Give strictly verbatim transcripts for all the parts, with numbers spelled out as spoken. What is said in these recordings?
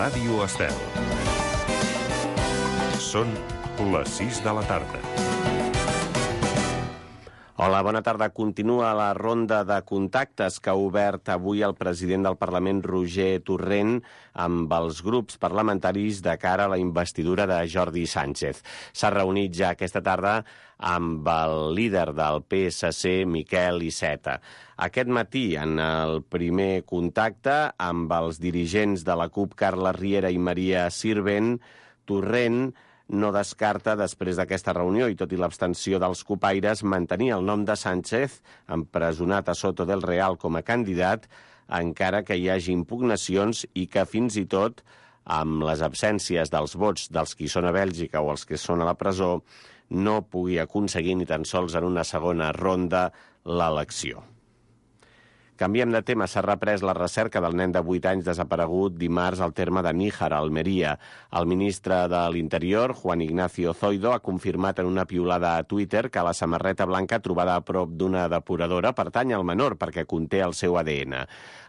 Ràdio Estel. Són les sis de la tarda. Hola, bona tarda. Continua la ronda de contactes que ha obert avui el president del Parlament, Roger Torrent, amb els grups parlamentaris de cara a la investidura de Jordi Sánchez. S'ha reunit ja aquesta tarda amb el líder del P S C, Miquel Iceta. Aquest matí, en el primer contacte amb els dirigents de la CUP, Carles Riera i Maria Sirvent, Torrent no descarta, després d'aquesta reunió, i tot i l'abstenció dels cupaires, mantenir el nom de Sánchez, empresonat a Soto del Real com a candidat, encara que hi hagi impugnacions i que fins i tot, amb les absències dels vots dels qui són a Bèlgica o els que són a la presó, no pugui aconseguir ni tan sols en una segona ronda l'elecció. Canviem de tema. S'ha reprès la recerca del nen de vuit anys desaparegut dimarts al terme de Níjar, a Almeria. El ministre de l'Interior, Juan Ignacio Zoido, ha confirmat en una piulada a Twitter que la samarreta blanca trobada a prop d'una depuradora pertany al menor perquè conté el seu A D N.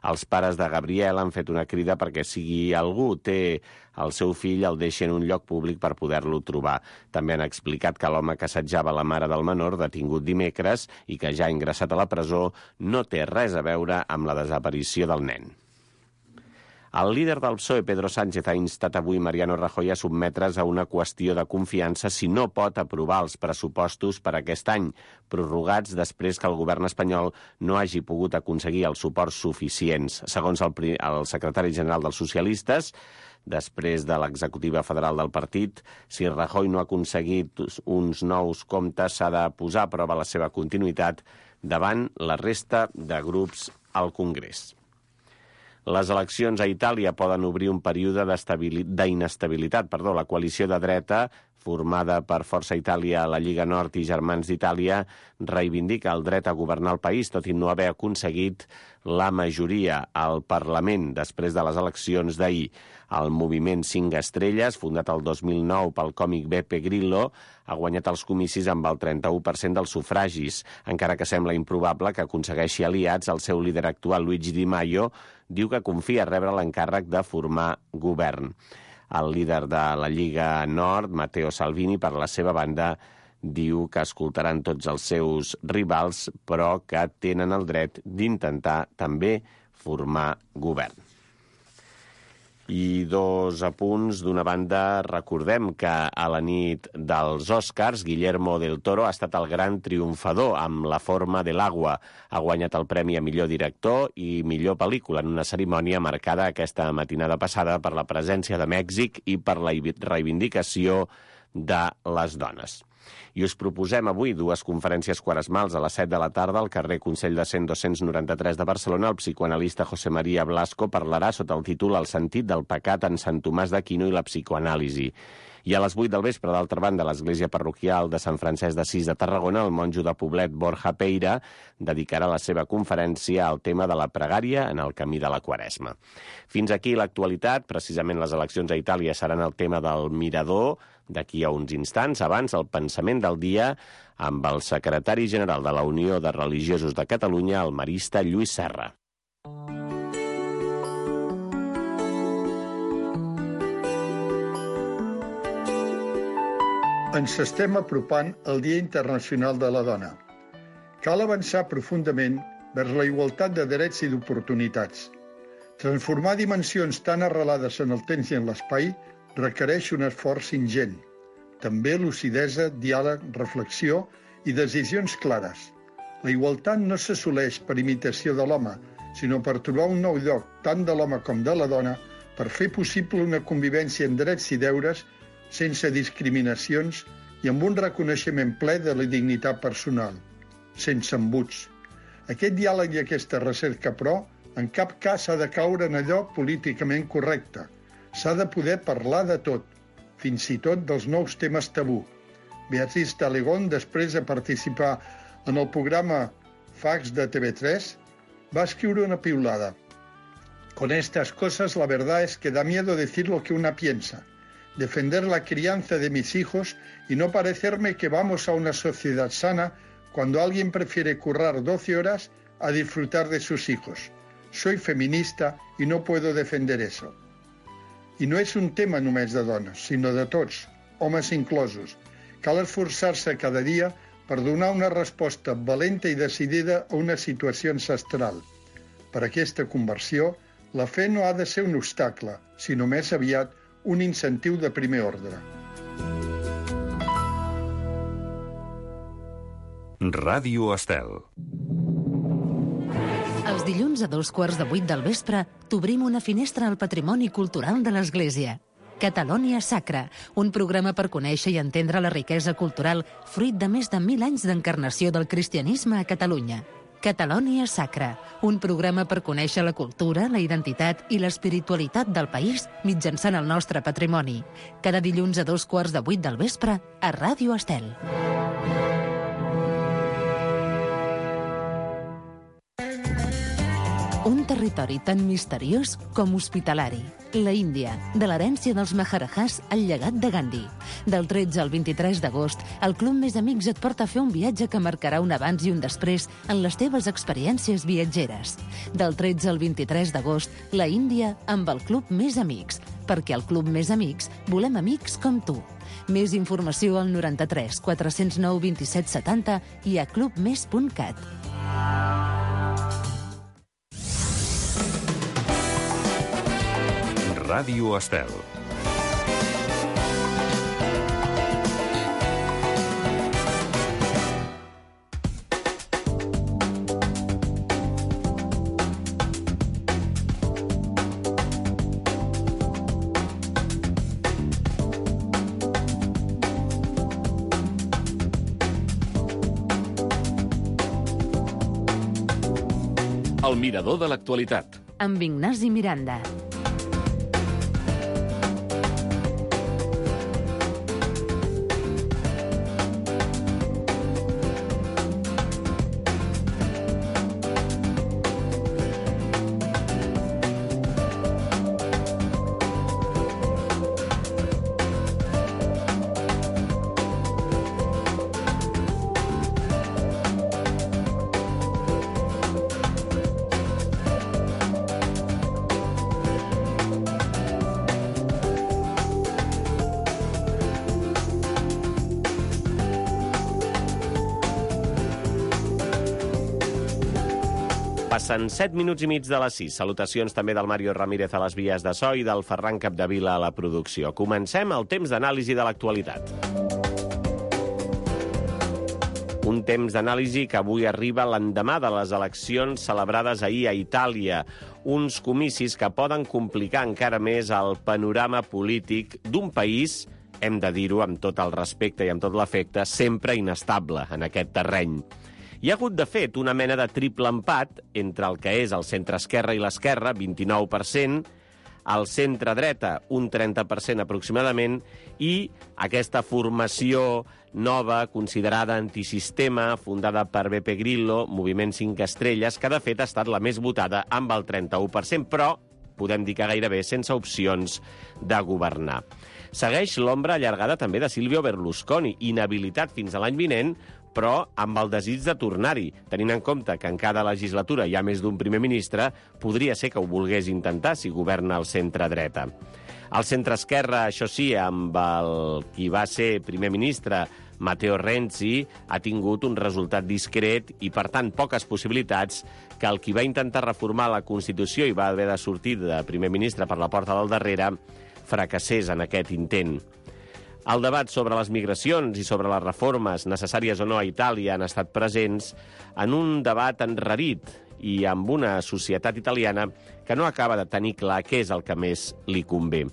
Els pares de Gabriel han fet una crida perquè si algú té el seu fill el deixi en un lloc públic per poder-lo trobar. També han explicat que l'home que assetjava la mare del menor, detingut dimecres i que ja ha ingressat a la presó, no té res a veure amb la desaparició del nen. El líder del P S O E, Pedro Sánchez, ha instat avui Mariano Rajoy a sotmetre's a una qüestió de confiança si no pot aprovar els pressupostos per aquest any, prorrogats després que el govern espanyol no hagi pogut aconseguir els suports suficients. Segons el, el secretari general dels socialistes, després de l'executiva federal del partit, si Rajoy no ha aconseguit uns nous comptes, s'ha de posar a prova la seva continuïtat davant la resta de grups al Congrés. Les eleccions a Itàlia poden obrir un període d'inestabilitat. Perdó, la coalició de dreta, formada per Força Itàlia, la Lliga Nord i Germans d'Itàlia, reivindica el dret a governar el país, tot i no haver aconseguit la majoria al Parlament després de les eleccions d'ahir. El moviment Cinc Estrelles, fundat el dos mil nou pel còmic Beppe Grillo, ha guanyat els comicis amb el trenta-u per cent dels sufragis, encara que sembla improbable que aconsegueixi aliats. El seu líder actual, Luigi Di Maio, diu que confia rebre l'encàrrec de formar govern. El líder de la Lliga Nord, Matteo Salvini, per la seva banda, diu que escoltaran tots els seus rivals, però que tenen el dret d'intentar també formar govern. I dos apunts. D'una banda, recordem que a la nit dels Oscars, Guillermo del Toro ha estat el gran triomfador amb La forma de l'agua. Ha guanyat el premi a millor director i millor pel·lícula en una cerimònia marcada aquesta matinada passada per la presència de Mèxic i per la reivindicació de les dones. I us proposem avui dues conferències quaresmals a les set de la tarda al carrer Consell de Cent dos-cents noranta-tres de Barcelona. El psicoanalista José María Blasco parlarà sota el títol El sentit del pecat en Sant Tomàs d'Aquino i la psicoanàlisi. I a les vuit del vespre, d'altra banda, a l'església parroquial de Sant Francesc d'Assís de Tarragona, el monjo de Poblet, Borja Peira, dedicarà la seva conferència al tema de la pregària en el camí de la Quaresma. Fins aquí l'actualitat. Precisament les eleccions a Itàlia seran el tema del Mirador d'aquí a uns instants. Abans, el pensament del dia amb el secretari general de la Unió de Religiosos de Catalunya, el marista Lluís Serra. Ens estem apropant al Dia Internacional de la Dona. Cal avançar profundament vers la igualtat de drets i d'oportunitats. Transformar dimensions tan arrelades en el temps i en l'espai requereix un esforç ingent. També lucidesa, diàleg, reflexió i decisions clares. La igualtat no s'assoleix per imitació de l'home, sinó per trobar un nou lloc, tant de l'home com de la dona, per fer possible una convivència en drets i deures sense discriminacions i amb un reconeixement ple de la dignitat personal, sense embuts. Aquest diàleg i aquesta recerca, però, en cap cas ha de caure en allò políticament correcte. S'ha de poder parlar de tot, fins i tot dels nous temes tabú. Beatriz Talegón, després de participar en el programa Fax de T V tres, va escriure una piulada. Con estas cosas la verdad es que da miedo decir lo que una piensa. Defender la crianza de mis hijos y no parecerme que vamos a una sociedad sana cuando alguien prefiere currar doce horas a disfrutar de sus hijos. Soy feminista y no puedo defender eso. I no és un tema només de dones, sinó de tots, homes inclosos. Cal esforçar-se cada dia per donar una resposta valenta i decidida a una situació ancestral. Per aquesta conversió, la fe no ha de ser un obstacle, sinó més aviat un incentiu de primer ordre. Ràdio Estel. Els dilluns a dos quarts de vuit del vespre t'obrim una finestra al patrimoni cultural de l'Església. Catalonia Sacra, un programa per conèixer i entendre la riquesa cultural fruit de més de mil anys d'encarnació del cristianisme a Catalunya. Catalonia Sacra, un programa per conèixer la cultura, la identitat i l'espiritualitat del país mitjançant el nostre patrimoni. Cada dilluns a dos quarts de vuit del vespre a Ràdio Estel. Un territori tan misteriós com hospitalari. La Índia, de l'herència dels Maharajahs al llegat de Gandhi. Del tretze al vint-i-tres d'agost, el Club Més Amics et porta a fer un viatge que marcarà un abans i un després en les teves experiències viatgeres. Del tretze al vint-i-tres d'agost, la Índia amb el Club Més Amics, perquè al Club Més Amics volem amics com tu. Més informació al noranta-tres quatre-cents nou vint-i-set setanta i a club més punt cat. Ràdio Estel. El mirador de l'actualitat. Amb Ignasi Miranda. Passen set minuts i mig de les sis. Salutacions també del Mario Ramírez a les vies de so i del Ferran Capdevila a la producció. Comencem el temps d'anàlisi de l'actualitat. Un temps d'anàlisi que avui arriba l'endemà de les eleccions celebrades ahir a Itàlia. Uns comicis que poden complicar encara més el panorama polític d'un país, hem de dir-ho amb tot el respecte i amb tot l'afecte, sempre inestable en aquest terreny. Hi ha hagut, de fet, una mena de triple empat entre el que és el centre-esquerra i l'esquerra, vint-i-nou per cent, el centre-dreta, un trenta per cent aproximadament, i aquesta formació nova, considerada antisistema, fundada per Beppe Grillo, Moviment cinc Estrelles, que de fet ha estat la més votada amb el trenta-u per cent, però podem dir que gairebé sense opcions de governar. Segueix l'ombra allargada també de Silvio Berlusconi, inhabilitat fins a l'any vinent, però amb el desig de tornar-hi. Tenint en compte que en cada legislatura hi ha més d'un primer ministre, podria ser que ho volgués intentar si governa el centre-dreta. El centre-esquerra, això sí, amb el qui va ser primer ministre, Matteo Renzi, ha tingut un resultat discret i, per tant, poques possibilitats que el qui va intentar reformar la Constitució i va haver de sortir de primer ministre per la porta del darrere fracassés en aquest intent. El debat sobre les migracions i sobre les reformes necessàries o no a Itàlia han estat presents en un debat enrarit i amb una societat italiana que no acaba de tenir clar què és el que més li convé.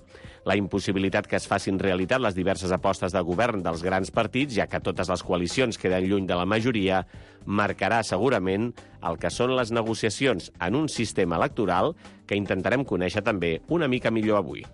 La impossibilitat que es facin realitat les diverses apostes de govern dels grans partits, ja que totes les coalicions queden lluny de la majoria, marcarà segurament el que són les negociacions en un sistema electoral que intentarem conèixer també una mica millor avui.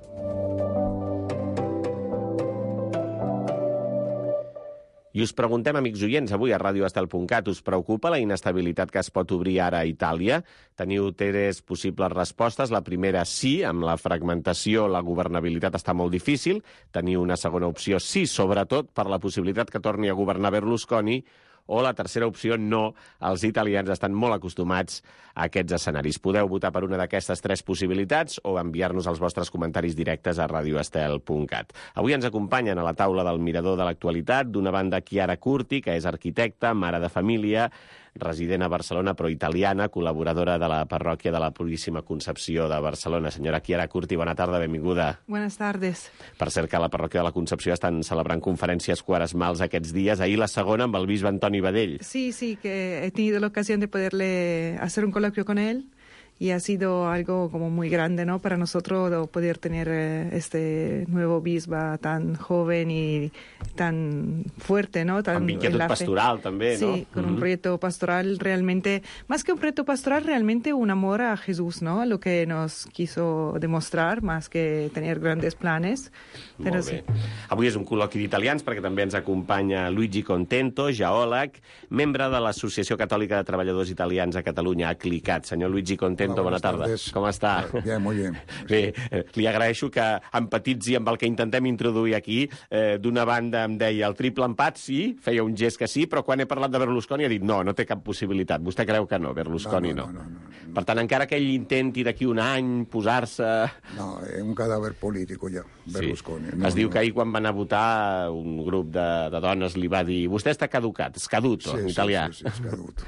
I us preguntem, amics oients, avui a ràdio estel punt cat, us preocupa la inestabilitat que es pot obrir ara a Itàlia? Teniu tres possibles respostes. La primera, sí, amb la fragmentació la governabilitat està molt difícil. Teniu una segona opció, sí, sobretot per la possibilitat que torni a governar Berlusconi. o la tercera opció, no. Els italians estan molt acostumats a aquests escenaris. Podeu votar per una d'aquestes tres possibilitats o enviar-nos els vostres comentaris directes a radio estel punt cat. Avui ens acompanyen a la taula del Mirador de l'actualitat, d'una banda Chiara Curti, que és arquitecta, mare de família, resident a Barcelona, però italiana, col·laboradora de la parròquia de la Puríssima Concepció de Barcelona. Senyora Chiara Curti, bona tarda, benvinguda. Buenas tardes. Per cert, que a la parròquia de la Concepció estan celebrant conferències quaresmals aquests dies. Ahir la segona amb el bisbe Antoni Badell. Sí, sí, que he tenido la ocasión de poderle hacer un coloquio con él. Y ha sido algo como muy grande, ¿no? Para nosotros poder tener eh, este nuevo bisba tan joven y tan fuerte, ¿no? Tan Amb inquietud pastoral, també, sí, no? Sí, con uh-huh. un proyecto pastoral realmente, más que un proyecto pastoral, realmente un amor a Jesús, ¿no? Lo que nos quiso demostrar, más que tener grandes planes. Però Molt bé. sí. Avui és un col·loqui d'italians perquè també ens acompanya Luigi Contento, geòleg, membre de l'Associació Catòlica de Treballadors Italians a Catalunya, ACLICAT. Senyor Luigi Contento, Hola, bona tarda. tardes. Com està? Bien, muy bien. Bé, li agraeixo que empatitzi amb el que intentem introduir aquí. Eh, D'una banda em deia el triple empat, sí, feia un gest que sí, però quan he parlat de Berlusconi ha dit no, no té cap possibilitat. Vostè creu que no, Berlusconi no. No, no, no, no, no. Per tant, encara que ell intenti d'aquí un any posar-se... No, è un cadàver político ja, Berlusconi. Sí. No, es diu no. que ahir quan van a votar un grup de, de dones li va dir vostè està caducat, scaduto, Sí, en sí, italià. sí, sí, scaduto.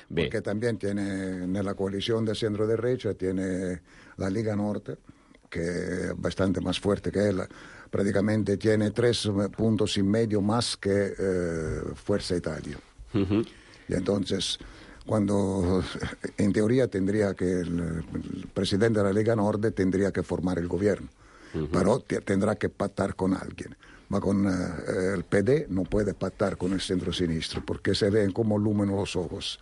Bé, Porque también tiene, nella coalición de centro derecha, tiene la Liga Norte, que es bastante más fuerte que él. Prácticamente tiene tres puntos y medio más que eh, Fuerza Italia. uh-huh. Y entonces, cuando en teoría tendría que el, el presidente de la Liga Norte tendría que formar el gobierno, uh-huh. pero t- tendrá que pactar con alguien. Ma con eh, el P D no puede pactar con el centro-sinistro porque se ven como lúmenos los ojos.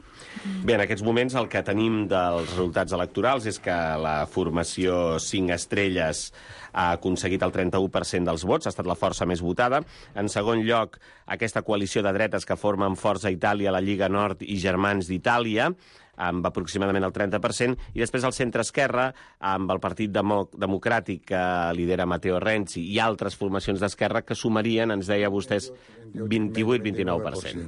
Bé, en aquests moments el que tenim dels resultats electorals és que la formació cinc estrelles ha aconseguit el trenta-u per cent dels vots, ha estat la força més votada. En segon lloc, aquesta coalició de dretes que formen Forza Itàlia, la Lliga Nord i Germans d'Itàlia, amb aproximadament el trenta per cent, i després el centre-esquerra, amb el Partit Demo- Democràtic que lidera Matteo Renzi i altres formacions d'esquerra que sumarien, ens deia vostès, vint-i-vuit a vint-i-nou per cent.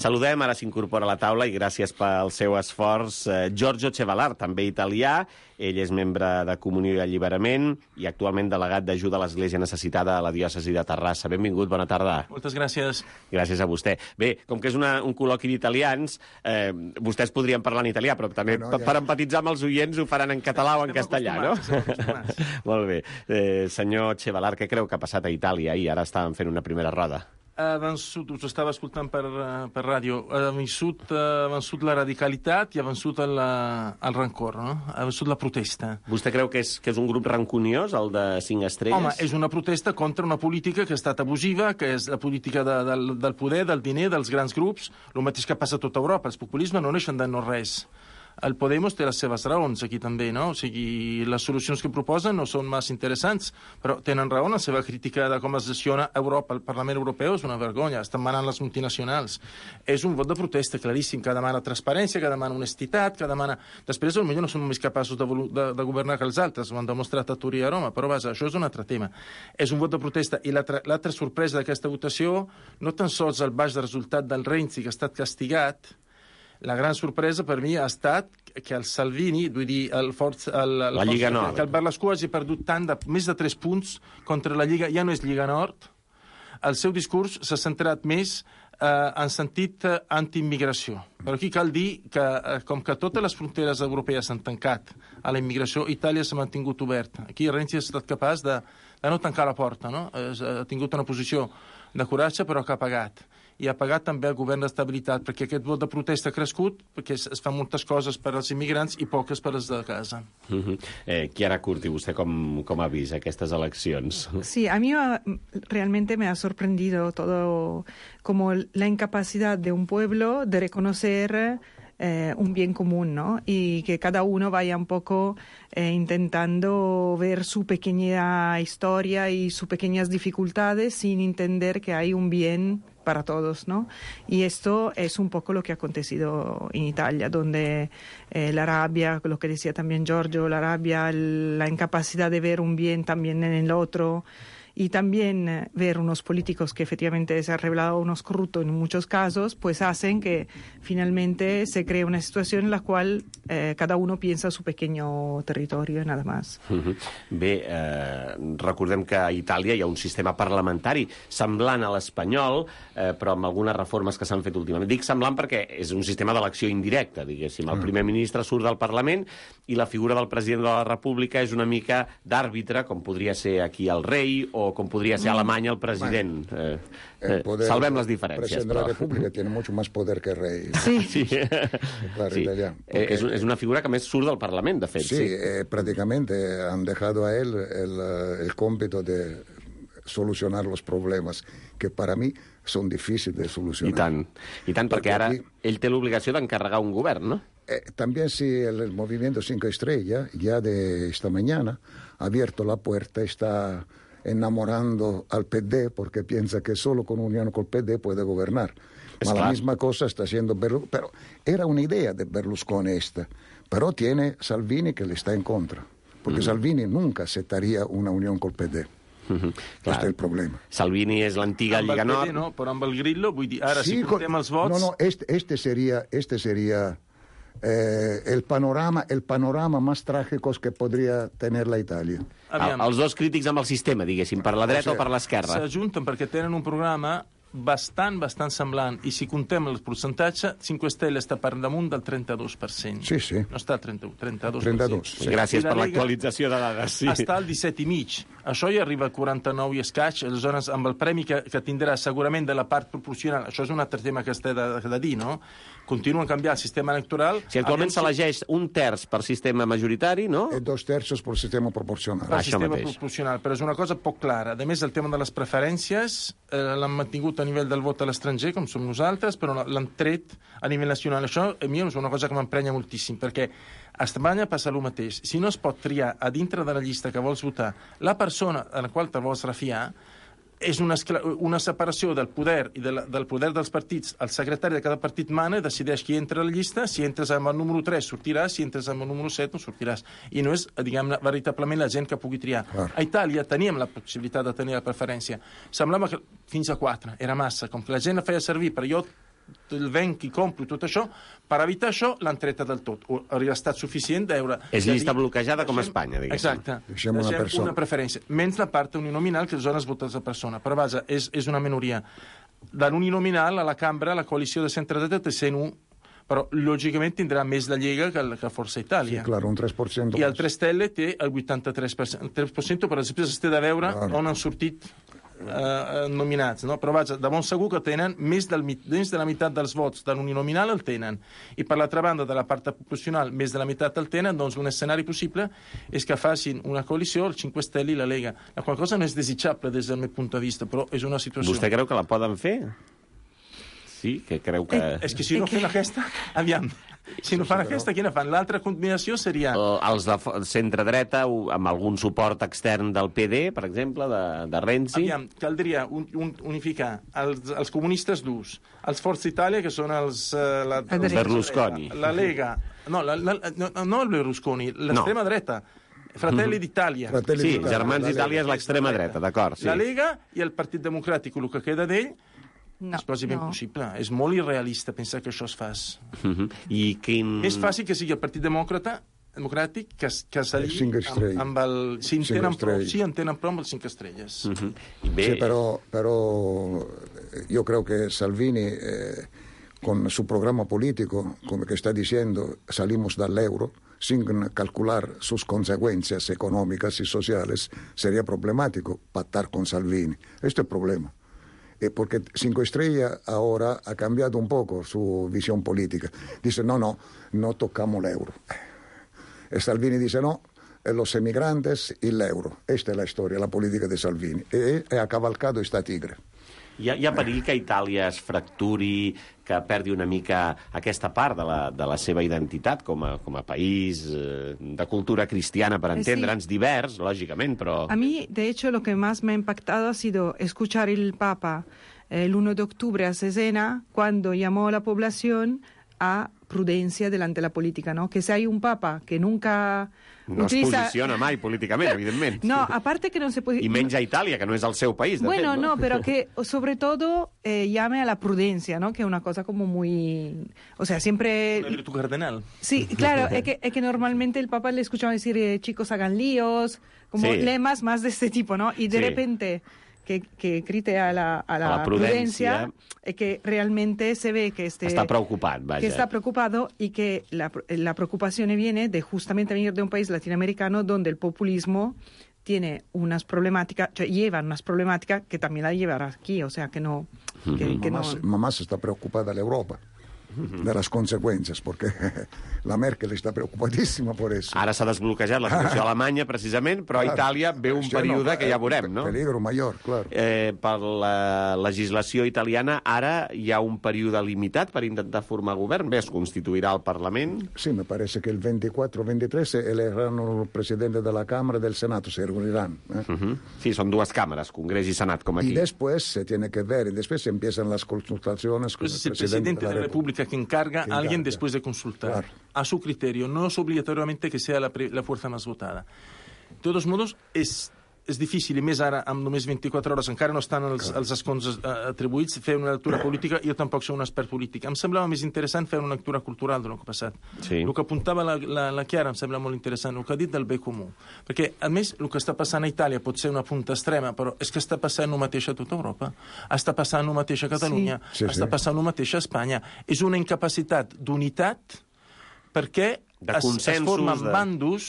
Saludem, ara s'incorpora a la taula, i gràcies pel seu esforç, eh, Giorgio Cevalar, també italià. Ell és membre de Comunió i Alliberament i actualment delegat d'ajuda a l'Església Necessitada a la diòcesi de Terrassa. Benvingut, bona tarda. Moltes gràcies. Gràcies a vostè. Bé, com que és una, un col·loqui d'italians, eh, vostès podrien parlar en italià, però també Bueno, per, ja. per empatitzar amb els oients ho faran en català o en Estem castellà, no? acostumats, estem acostumats. Molt bé. Eh, senyor Cevalar, què creu que ha passat a Itàlia ahir? Ara estàvem fent una primera roda. Ha vençut, us estava escoltant per, eh, per ràdio, ha vençut, ha vençut la radicalitat i ha vençut el, el rancor, no? Ha vençut la protesta. Vostè creu que és, que és un grup rancuniós, el de cinc estrelles? Home, és una protesta contra una política que ha estat abusiva, que és la política de, del, del poder, del diner, dels grans grups, el mateix que passa a tota Europa. Els populismes no neixen de no res. El Podemos té les seves raons aquí també, no? O sigui, les solucions que proposen no són massa interessants, però tenen raó en la seva crítica de com es gestiona Europa. El Parlament Europeu és una vergonya, estan manant les multinacionals. És un vot de protesta claríssim, que demana transparència, que demana honestitat, que demana... Després, potser no són més capaços de, de, de governar que els altres, ho han demostrat a Turí i a Roma, però vaja, això és un altre tema. És un vot de protesta, i l'altra sorpresa d'aquesta votació, no tan sols el baix resultat del Renzi, que ha estat castigat. La gran sorpresa per mi ha estat que el Salvini, vull dir, el Forza, el, el La Lliga Forza, Nord. que el Berlusconi hagi perdut tant de més de tres punts contra la Lliga, ja no és Lliga Nord. El seu discurs s'ha centrat més eh, en sentit eh, anti-immigració. Però aquí cal dir que, eh, com que totes les fronteres europees s'han tancat a la immigració, Itàlia s'ha mantingut oberta. Aquí Renzi ha estat capaç de, de no tancar la porta, no? Ha tingut una posició de coratge, però que ha pagat. I ha pagat també el govern d'estabilitat, perquè aquest vot de protesta ha crescut, perquè es, es fan moltes coses per als immigrants i poques per als de casa. Uh-huh. eh, Chiara Curti, vostè com, com ha vist aquestes eleccions? Sí, a mí ah, realmente me ha sorprendido todo, como la incapacidad de un pueblo de reconocer eh, un bien común, ¿no? Y que cada uno vaya un poco eh, intentando ver su pequeña historia y sus pequeñas dificultades sin entender que hay un bien para todos, ¿no? Y esto es un poco lo que ha acontecido en Italia, donde eh, la rabia, lo que decía también Giorgio, la rabia, el, la incapacidad de ver un bien también en el otro, y también eh, ver unos políticos que efectivamente se han revelado unos corruptos en muchos casos, pues hacen que finalmente se cree una situación en la cual eh, cada uno piensa su pequeño territorio y nada más. Uh-huh. Bé, eh, recordem que a Itàlia hi ha un sistema parlamentari semblant a l'espanyol, eh, però amb algunes reformes que s'han fet últimament. Dic semblant perquè és un sistema d'elecció indirecta, diguéssim. El primer ministre surt del Parlament i la figura del president de la República és una mica d'àrbitre, com podria ser aquí el rei o com podria ser a Alemanya el president. Eh, eh, poder, salvem les diferències. El presidente però... de la República tiene mucho más poder que el rey. Sí. Sí. Claro, Sí. italiano. Eh, és, és una figura que més surt del Parlament, de fet. Sí, Sí, eh, prácticamente han dejado a él el, eh, el cómpito de solucionar los problemas que para mí son difíciles de solucionar. I tant, i tant, perquè Perquè ara aquí- ell té l'obligació d'encarregar un govern, no? Eh, también si el, el movimiento Cinco Estrellas, ya de esta mañana, ha abierto la puerta, está enamorando al P D porque piensa que solo con unión con el P D puede gobernar. Es Ma la claro. misma cosa está haciendo Berlusconi, pero era una idea de Berlusconi esta, pero tiene Salvini que le está en contra, porque Mm. Salvini nunca aceptaría una unión con el P D. Uh-huh. Este es el problema. Salvini és l'antiga Amb el Lliga P D Nord. no, però amb el Grillo, vull dir, ara Sí, si con- comptem els vots... No, no, este, este sería, este sería eh, el panorama, el panorama más trágico que podría tener la Italia. Aviam, Els dos crítics amb el sistema, diguéssim, per la dreta o, O sigui, per l'esquerra. s'ajunten perquè tenen un programa bastant, bastant semblant. I si contem el percentatge, Cinque Stelle està per damunt del trenta-dos per cent. Sí, sí. No està al trenta-u, trenta-dos per cent. trenta-dos, sí. Gràcies I la per Lega l'actualització de dades. Sí. Està al disset i mig. Això ja arriba a quaranta-nou i escaig, aleshores amb el premi que, que tindrà segurament de la part proporcional. Això és un altre tema que es té de, de dir, no? Continuen a canviar el sistema electoral. Si actualment Aviam s'elegeix un terç per sistema majoritari, no? E dos tercios por sistema proporcional. per Això sistema mateix. proporcional, però és una cosa poc clara. A més, el tema de les preferències eh, l'han mantingut a nivell del vot a l'estranger, com som nosaltres, però l'han tret a nivell nacional. Això a mi és una cosa que m'emprenya moltíssim, perquè a Espanya passa el mateix. Si no es pot triar a dintre de la llista que vols votar la persona a la qual te vols refiar, és una, una separació del poder i de la, del poder dels partits. El secretari de cada partit mana i decideix qui entra a la llista. Si entres amb el número tres sortiràs, si entres amb el número set no sortiràs. I no és, diguem-ne, veritablement la gent que pugui triar. Clar. A Itàlia teníem la possibilitat de tenir la preferència. Semblava que fins a quatre era massa, com que la gent la feia servir per jo el venc i compro tot això, per evitar això l'han treta del tot. O hauria estat suficient d'eure... És de llista dir, bloquejada com a deixem- Espanya, diguéssim. Exacte. Deixem una persona. una preferència. Menys la part uninominal, que aleshores votes la persona. Però vaja, és, és una minoria. De l'uninominal a la cambra, la coalició de centre-dreta té cent u, però lògicament tindrà més la Lliga que, que Força Sí, Itàlia. claro, un tres por ciento. I el tres Stelle té el vuitanta-tres per cent. El tres per cent, però després es té de veure Claro. on han sortit eh, nominats, no? Però vaja, de bon segur que tenen més, del, mi- més de la meitat dels vots de l'uninominal el tenen. I per l'altra banda, de la part proporcional, més de la meitat el tenen, doncs un escenari possible és que facin una coalició, el Cinque Stelle i la Lega. La qual cosa no és desitjable des del meu punt de vista, però és una situació... Vostè creu que la poden fer? Sí, que creu que... És que si no fem aquesta, aviam, si no fan aquesta, quina fan? L'altra combinació seria... O els de fo- centre-dreta o amb algun suport extern del P D, per exemple, de, de Renzi. Aviam, caldria un, un, unificar els, els comunistes durs, els Forza Italia, que són els... Uh, la, Els Berlusconi. La, la Lega, no, la, la, no, no el Berlusconi, l'extrema No. dreta, Fratelli d'Italia. Fratelli Sí, d'Italia, Germans la d'Itàlia és l'extrema dreta, d'acord. Sí. La Lega i el Partit Democràtic, el que queda d'ell, No, és quasi ben no. possible. És molt irrealista pensar que això es fas. Mhm. I quin... Més fàcil que sigui el Partit Demòcrata democràtic que, que s'alli Cinc amb, estrelles. amb el... Si en Cinc tenen prou, estrelles. sí, en tenen prou amb els cinc estrelles. Mhm. Bé, Sí, pero, pero yo creo que Salvini, eh, con su programa político, como que está diciendo, salimos del euro, sin calcular sus consecuencias económicas y sociales, sería problemático pactar con Salvini. Este es el problema. Eh, porque Cinco Estrellas ahora ha cambiado un poco su visión política. Dice, no, no, no tocamos el euro. E Salvini dice, no, eh, los emigrantes y el euro. Esta es la historia, la política de Salvini. E, e ha cavalcado esta tigre. hi ha, hi ha perill que Itàlia es fracturi, que perdi una mica aquesta part de la, de la seva identitat com a, com a país eh, de cultura cristiana, per Eh, sí. entendre'ns, divers, lògicament, però... A mí, de hecho, lo que más me ha impactado ha sido escuchar el Papa el uno de octubre a Cesena, cuando llamó a la población a prudencia delante de la política, ¿no? Que si hay un papa que nunca... No utiliza... es posiciona mai políticament, evidentment. No, aparte que no se puede... I menys a Itàlia, que no és el seu país, de bueno, fet, no? no, pero que sobre todo eh, llame a la prudencia, ¿no? Que es una cosa como muy... O sea, siempre... Una virtud cardenal. Sí, claro, es que, es que normalmente el Papa le escuchaba decir, eh, chicos, hagan líos, como sí. lemas más de este tipo, ¿no? Y de sí. repente... Que, que grite a la, a la, a la prudencia, prudencia, es que realmente se ve que este, está preocupat, vaja. que está preocupado y que la, la preocupación viene de justamente venir de un país latinoamericano donde el populismo tiene unas problemáticas, cioè lleva unas problemáticas que también la llevará aquí, o sea que no... Que, que mamá, no... mamá se está preocupada de Europa, de las consecuencias, porque la Merkel està preocupadíssima por eso. Ara s'ha desbloquejat la situació a Alemanya, precisament, però a Itàlia ve un Sí, període no, que ja veurem, no? Peligro mayor, claro. Eh, per la legislació italiana, ara hi ha un període limitat per intentar formar govern. Bé, es constituirà el Parlament. Sí, me parece que el veinticuatro veintitrés elegirán el presidente de la Cámara del Senado, se reunirán. ¿eh? Uh-huh. Sí, són dues càmeres, Congrés i Senat, com aquí. Y después se tiene que ver, y después empiezan las consultaciones con Pues el es el presidente de la República que encarga Que a alguien encarga. después de consultar. Claro. A su criterio. No es obligatoriamente que sea la, pre- la fuerza más votada. De todos modos, és, és difícil, i més ara, amb només vint-i-quatre hores, encara no estan els, els escons uh, atribuïts, fer una lectura política. Jo tampoc soc un expert polític. Em semblava més interessant fer una lectura cultural del que ha passat. Sí. El que apuntava la, la, la Chiara em sembla molt interessant, el que ha dit del bé comú. Perquè, a més, el que està passant a Itàlia pot ser una punta extrema, però és que està passant el mateix a tota Europa. Està passant el mateix a Catalunya. Sí. Sí, està sí. passant el mateix a Espanya. És una incapacitat d'unitat perquè De es, es consensos, formen de- bandos.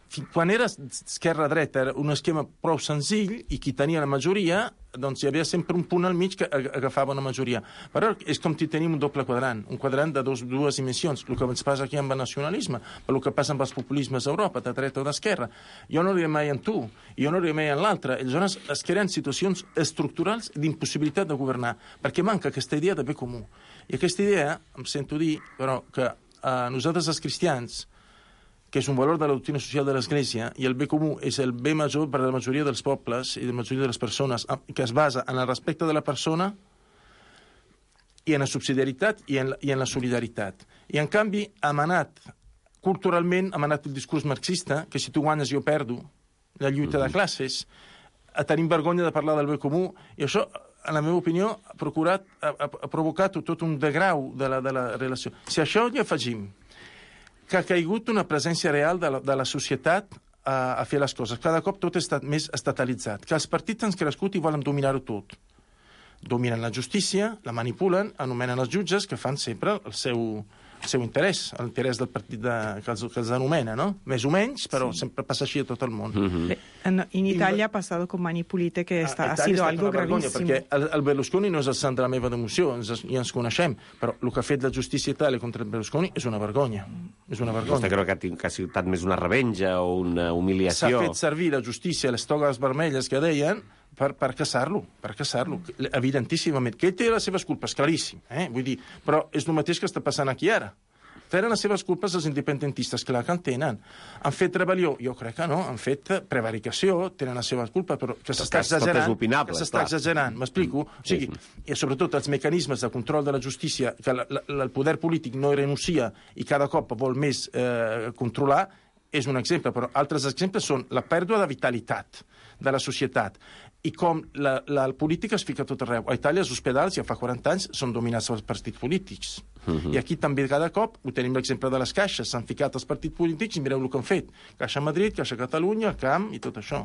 Fi- Quan era esquerra-dreta era un esquema prou senzill i qui tenia la majoria, doncs hi havia sempre un punt al mig que ag- agafava una majoria. Però és com si tenim un doble quadrant, un quadrant de dos, dues dimensions, el que ens passa aquí amb el nacionalisme, el que passa amb els populismes a Europa, de dreta o d'esquerra. Jo no diré mai en tu, jo no diré mai en l'altre. Aleshores es creen situacions estructurals d'impossibilitat de governar, perquè manca aquesta idea de bé comú. I aquesta idea, em sento dir, però, que a nosaltres els cristians, que és un valor de la doctrina social de l'Església, i el bé comú és el bé major per a la majoria dels pobles i la majoria de les persones, que es basa en el respecte de la persona i en la subsidiaritat i en la, i en la solidaritat. I, en canvi, hem anat, culturalment, hem anat el discurs marxista, que si tu guanyes jo perdo, la lluita de classes, a tenim vergonya de parlar del bé comú, i això, en la meva opinió, ha, procurat, ha, ha provocat tot un degrau de la, de la relació. Si a això hi afegim que ha caigut una presència real de la, de la societat a, a fer les coses. Cada cop tot està més estatalitzat. Que els partits han crescut i volen dominar-ho tot. Dominen la justícia, la manipulen, anomenen els jutges, que fan sempre el seu, el seu interès, l'interès del partit de, que, els, que els anomena, no? Més o menys, però sí. Sempre passa així a tot el món. Mm-hmm. En, en Italia ha pasado con Mani Pulite, que esta, ha sido algo vergonya, gravísimo. perquè el, el Berlusconi no és el sant de la meva devoció, ens, ja ens coneixem, però el que ha fet la justícia a Itàlia contra el Berlusconi és una vergonya. És una vergonya. Vostè creu que ha, tinc, que ha estat més una revenja o una humiliació? S'ha fet servir la justícia, les togues vermelles que deien, per, per caçar-lo, per caçar-lo, evidentíssimament. Que ell té les seves culpes, claríssim, eh? Vull dir, però és el mateix que està passant aquí ara. Tenen les seves culpes els independentistes, clar que en tenen. Han fet rebel·lió? Jo crec que no. Han fet prevaricació, tenen les seves culpes, però que s'està exagerant. Opinable, que s'està exagerant, m'explico? O sigui, i sobretot els mecanismes de control de la justícia, que la, la, el poder polític no renuncia i cada cop vol més eh, controlar, és un exemple, però altres exemples són la pèrdua de vitalitat de la societat i com la, la política es fica tot arreu. A Itàlia els hospitals ja fa quaranta anys són dominats pels partits polítics. Uh-huh. I aquí també cada cop ho tenim l'exemple de les caixes. S'han ficat els partits polítics i mireu el que han fet. Caixa Madrid, Caixa Catalunya, el Camp i tot això.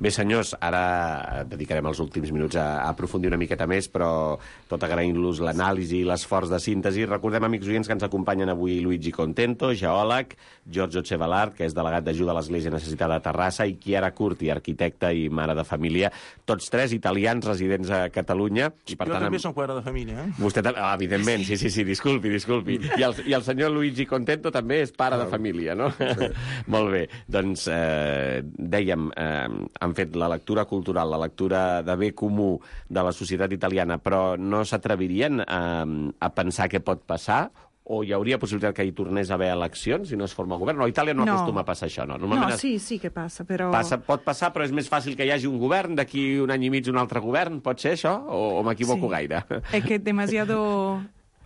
Bé, senyors, ara dedicarem els últims minuts a, a aprofundir una miqueta més, però tot agraint-los l'anàlisi i l'esforç de síntesi. Recordem, amics oients, que ens acompanyen avui Luigi Contento, geòleg, Giorgio Cevallard, que és delegat d'ajuda a l'Església Necessitada de Terrassa, i Chiara Curti, arquitecta i mare de família, tots tres italians residents a Catalunya. I per jo tant, també som pare de família, eh? Vostè també, ah, evidentment, sí, sí, sí, disculpi, disculpi. I el, i el senyor Luigi Contento també és pare de família, no? Sí. Molt bé, doncs eh, dèiem, eh, han fet la lectura cultural, la lectura de bé comú de la societat italiana, però no s'atrevirien a, a pensar què pot passar? O hi hauria possibilitat que hi tornés a haver eleccions si no es forma govern? No, a Itàlia no, no. acostuma a passar això, no? No, sí, sí que passa, però... Passa, pot passar, però és més fàcil que hi hagi un govern, d'aquí un any i mig un altre govern, pot ser això? O, o m'equivoco sí. gaire? Es que demasiado...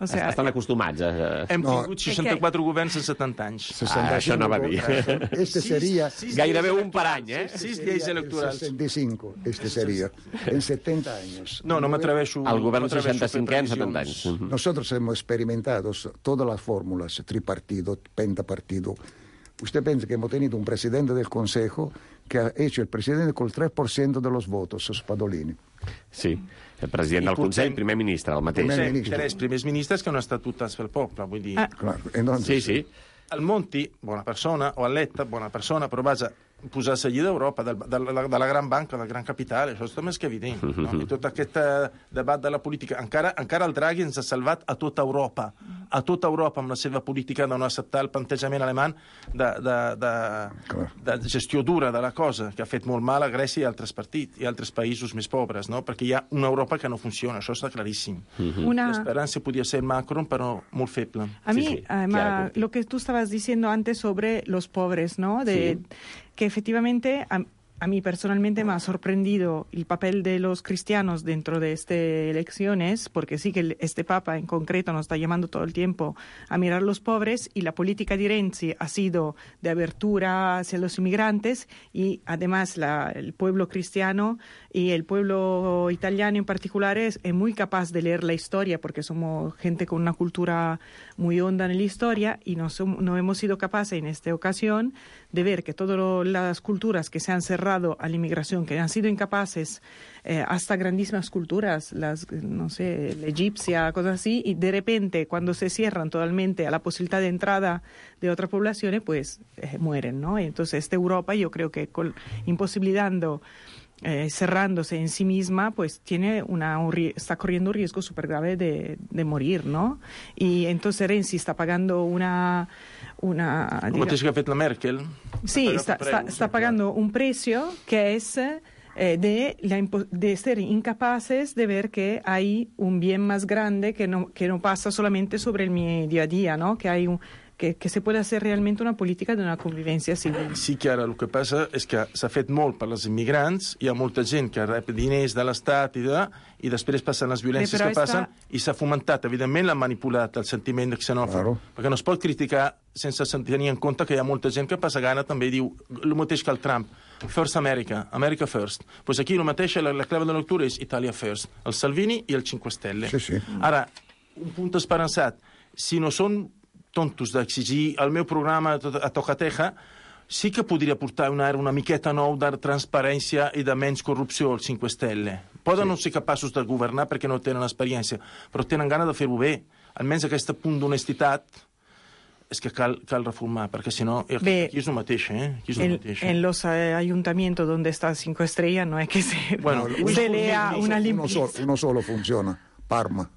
O sea, estan acostumats a... Hem No. tingut seixanta-quatre governs en setanta anys. Ah, això no va dir. Este sería... Gairebé un per any, eh? Sis lleis electorals. sesenta y cinco, este sería. En setenta años. No, no m'atreveixo... El govern no m'atreveixo a fer seixanta-cinquè en setanta previsions. anys. Nosotros hemos experimentado todas las fórmulas, tripartido, pentapartido. Usted piensa que hemos tenido un presidente del Consejo que ha hecho el presidente con el tres por ciento de los votos, Spadolini. Sí, el president del Consell, primer ministre, el mateix. Primer Sí, ministre. tres primers ministres que no han estat votats pel poble, vull dir... Ah. Claro, entonces, Sí, sí. El Monti, bona persona, o el Letta, bona persona, però vaja, posar-se allí d'Europa, de, de, la, de la gran banca, del gran capital, això és més que evident. No? I tot aquest eh, debat de la política... Encara, encara el Draghi ens ha salvat a tota Europa, a tota Europa amb la seva política de no acceptar el plantejament alemany de, de, de, de gestió dura de la cosa, que ha fet molt mal a Grècia i altres partits, i altres països més pobres, no? Perquè hi ha una Europa que no funciona, això està claríssim. Una... L'esperança podia ser Macron, però molt feble. A mí, Sí, sí, además, claro. lo que tú estabas diciendo antes sobre los pobres, ¿no? De, Sí. Que efectivamente a, a mí personalmente me ha sorprendido el papel de los cristianos dentro de estas elecciones, porque sí que el- este Papa en concreto nos está llamando todo el tiempo a mirar los pobres, y la política de Renzi ha sido de abertura hacia los inmigrantes, y además la- el pueblo cristiano y el pueblo italiano en particular es, es muy capaz de leer la historia, porque somos gente con una cultura muy honda en la historia, y no, som- no hemos sido capaces en esta ocasión de ver que todas lo- las culturas que se han cerrado a la inmigración, que han sido incapaces, eh, hasta grandísimas culturas, las, no sé, la egipcia, cosas así, y de repente cuando se cierran totalmente a la posibilidad de entrada de otras poblaciones, pues eh, mueren, ¿no? Y entonces esta Europa, yo creo que col- imposibilitando eh, cerrándose en sí misma, pues tiene una, un ri- está corriendo un riesgo súper grave de, de morir, ¿no? Y entonces Renzi está pagando una... una El diga- mateix que ha fet la Merkel. Sí, Ha está, pagat está, preus, está sí, pagando un precio que es eh, de, la impo- de ser incapaces de ver que hay un bien más grande que no, que no pasa solamente sobre el mi día a día, ¿no? Que hay un, que, que se puede hacer realmente una política de una convivencia civil. Sí que ara el que passa és que s'ha fet molt per als immigrants, hi ha molta gent que rep diners de l'Estat i, de, i després passen les violències Bé, però que passen està- i s'ha fomentat, evidentment l'ha manipulat el sentiment xenòfob, Claro. perquè no es pot criticar sense tenir en compte que hi ha molta gent que passa gana també i diu el mateix que el Trump, First America, America First. Pues aquí el mateix, la, la clave de la lectura és Italia First, el Salvini i el Cinque Stelle. Sí, sí. Ara, un punt esperançat, si no són tontos d'exigir el meu programa a tocateja, sí que podria portar una, una miqueta nou de transparència i de menys corrupció als Cinque Stelle. Poden sí. no ser capaços de governar perquè no tenen experiència, però tenen gana de fer-ho bé. Almenys aquest punt d'honestitat és que cal, cal reformar, perquè si no, Bé, aquí és el mateix, eh? Aquí és el En, mateix. en los eh, ayuntamientos donde está Cinco Estrellas no es que se, Bueno, se lea una uno, limpieza. solo, uno solo funciona, Parma,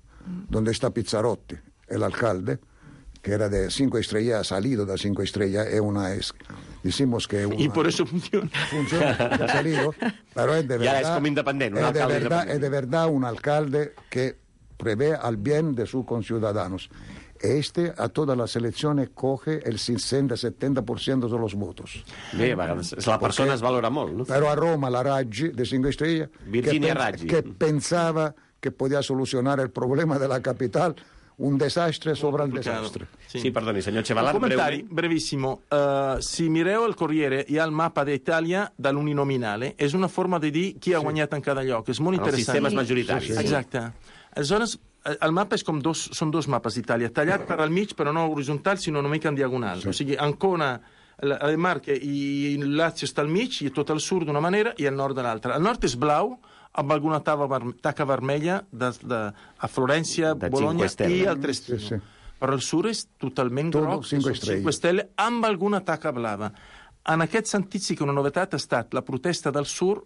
donde está Pizzarotti, el alcalde, que era de Cinco Estrellas, ha salido de Cinco Estrellas, es una... Es, decimos que... Una, Y por eso funciona. funciona, ha salido, pero es de Y ahora verdad... es como independiente, un es de alcalde verdad, independiente. es de verdad un alcalde que prevé al bien de sus conciudadanos. Este a todas las elecciones coge el sesenta setenta por ciento de los votos. Bé, a vegades la persona es valora molt, no? Pero a Roma la Raggi de Cinco Estrellas, Virginia que, Raggi. que pensaba que podía solucionar el problema de la capital, un desastre sobre el desastre. Sí, sí perdoni, senyor Chevalat, Un comentari breument. brevissimo. Uh, si mireu el Corriere, hi ha el mapa d'Itàlia de l'uninominale. És una forma de dir qui ha guanyat en cada lloc. És molt Els interessant. sistemes majoritaris. Sí, sí. Exacte. Aleshores, el mapa és com dos, són dos mapes d'Itàlia, tallat per al mig, però no horitzontal, sinó una mica en diagonal. Sí. O sigui, Ancona, le Marche i el Lazio està al mig, i tot el sud d'una manera i el nord de l'altra. El nord és blau, amb alguna taca, verme taca vermella de, de, a Florència, De Bologna Cinque Stelle. i al Trestino. Sí, sí. Però el sud és totalment Todo groc, Cinque són Stelle. Cinque Stelle, amb alguna taca blava. En aquest sentit sí que una novetat ha estat la protesta del sud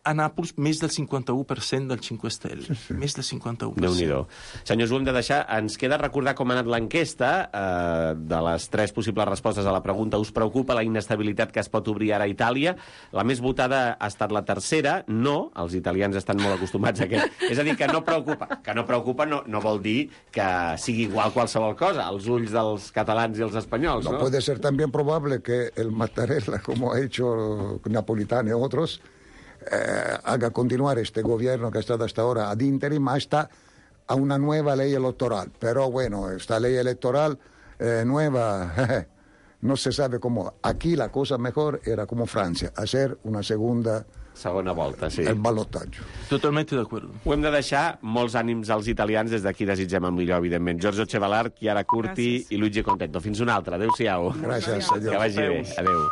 a Nàpols més del cinquanta-u per cent del Cinque Stelle. Sí, sí. Més del cinquanta-u per cent. Déu-n'hi-do. Senyors, ho hem de deixar. Ens queda recordar com ha anat l'enquesta. Eh, de les tres possibles respostes a la pregunta, us preocupa la inestabilitat que es pot obrir ara a Itàlia? La més votada ha estat la tercera. No, els italians estan molt acostumats a aquest. És a dir, que no preocupa. Que no preocupa no, no vol dir que sigui igual qualsevol cosa als ulls dels catalans i els espanyols, No no? puede ser también probable que el Mattarella, como ha hecho Napolitano y otros, eh, haga continuar este gobierno que ha estado hasta ahora ad interim hasta a una nueva ley electoral. Pero bueno, esta ley electoral eh, nueva, no se sabe cómo. Aquí la cosa mejor era como Francia, hacer una segunda... Segona volta, sí. El balotatge. Totalmente d'acord. Ho hem de deixar. Molts ànims als italians. Des d'aquí desitgem el millor, evidentment. Giorgio Cevalar, Chiara Curti i Luigi Contento. Fins una altra. Adéu-siau. Gràcies, adéu. Que vagi bé. Adéu.